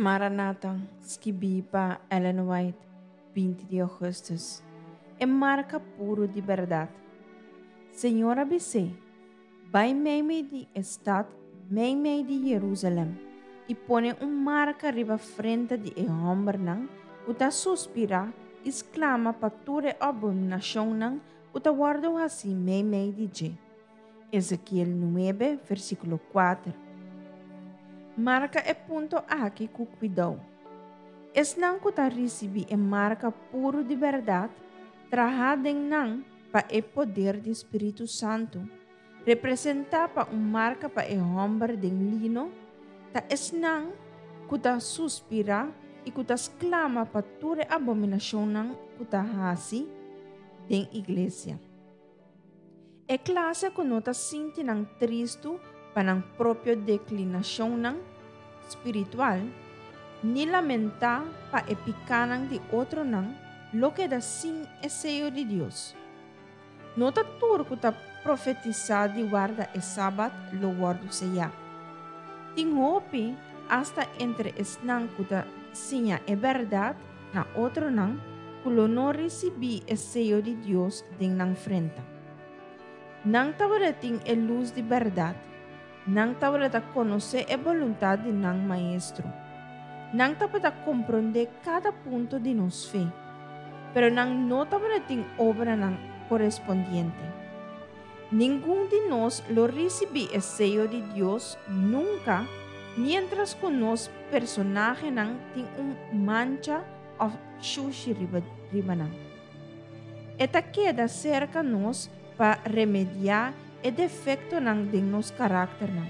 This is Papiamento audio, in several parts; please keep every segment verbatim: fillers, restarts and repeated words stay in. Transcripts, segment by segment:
Maranata, skibí pa Ellen White, binti di ougùstùs. E marka puru di bèrdat. Señor a bis'é: "Bai meimei di e stat, meimei di Jerusalèm, i pone un marka riba frenta di e hòmbernan ku ta suspirá i sklama pa tur e abominashonnan ku ta wòrdu hasí meimei di dje." Ezekiel nuebe, versíkulo kuater. Marka e punto aki ku kuidou. Esnan ku ta risibí e marka puru di bèrdat, trahá den nan pa e poder di Spiritu Santu, representá pa un marka pa e hòmber den lino, ta esnan ku ta suspirá i ku ta sklama pa tur e abominashonnan ku ta hasi den iglesia. E klase ku no ta sinti nan tristu pa nan propio deklinashonnan spiritual, ni lamentá pa e pikánan di otronan, lo keda sin e seyo di Dios. No ta tur ku ta profetisá di warda e sabat lo wòrdu seyá. Tin hopi, asta entre esnan ku ta siña e bèrdat na otronan, ku lo no risibí e seyo di Dios den nan frenta. Nan tabatin e lus di bèrdat. Nan tabata konosé e boluntat di nan maestro. Nan tabata komprondé kada punto di nos fe. Pero nan no tabatin obranan korespondiente. Ningun di nos lo risibí e seyo di Dios nunka, mientras ku nos personahenan tin un mancha òf shushi riba, riba nan. E ta keda serka nos pa remediá e defektonan den nos karakternan,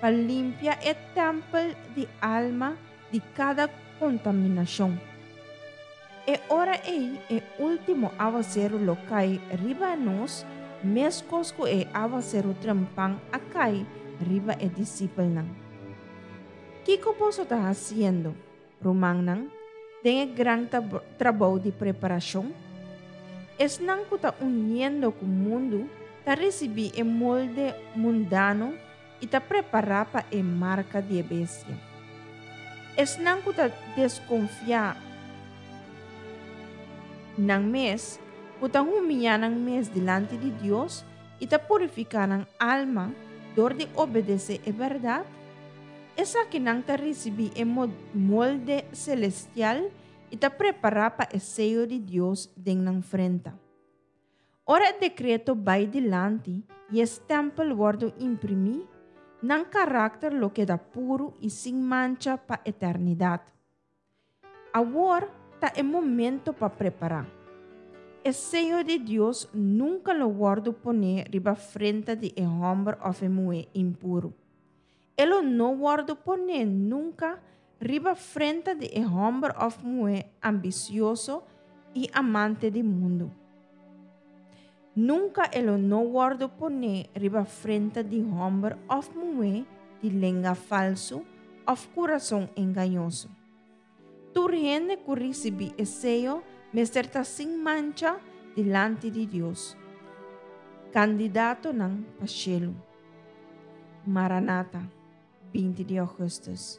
pa limpia e tèmpel di alma di kada kontaminashon. E ora ei e último awaseru lo kai riba nos, meskos ku e awaseru trempan a kai riba e disipelnan. Kiko boso ta hasiendo, rumannan, den e gran trabou di preparashon? Esnan ku ta uniendo ku mundu ta risibí e molde mundano i ta prepará pa e marka di bestia. Esnan ku ta deskonfiá nan mes, ku ta humiliá nan mes dilanti di Dios i ta purifiká nan alma dor di obedesé e bèrdat, esakinan ta risibí e molde selestial i ta prepará pa e seyo di Dios den nan frenta. Ora e dekreto bai dilanti i e stèmpel wòrdu imprimí, nan karakter lo keda puru i sin mancha pa eternidat. Awor ta e momento pa prepará. E seyo di Dios nunka lo wòrdu poné riba frenta di e hòmber òf e muhé impuru. E lo no wòrdu poné nunka riba frenta di e hòmber òf muhé ambisioso i amante di mundu. Nunka e lo no wòrdu poné riba frenta di hòmber òf muhé di lenga falsu òf kurason engañoso. Tur hende ku risibí e seyo mester ta sin mancha dilanti di Dios. Kandidatonan pa shelu. Maranata, binti di ougùstùs.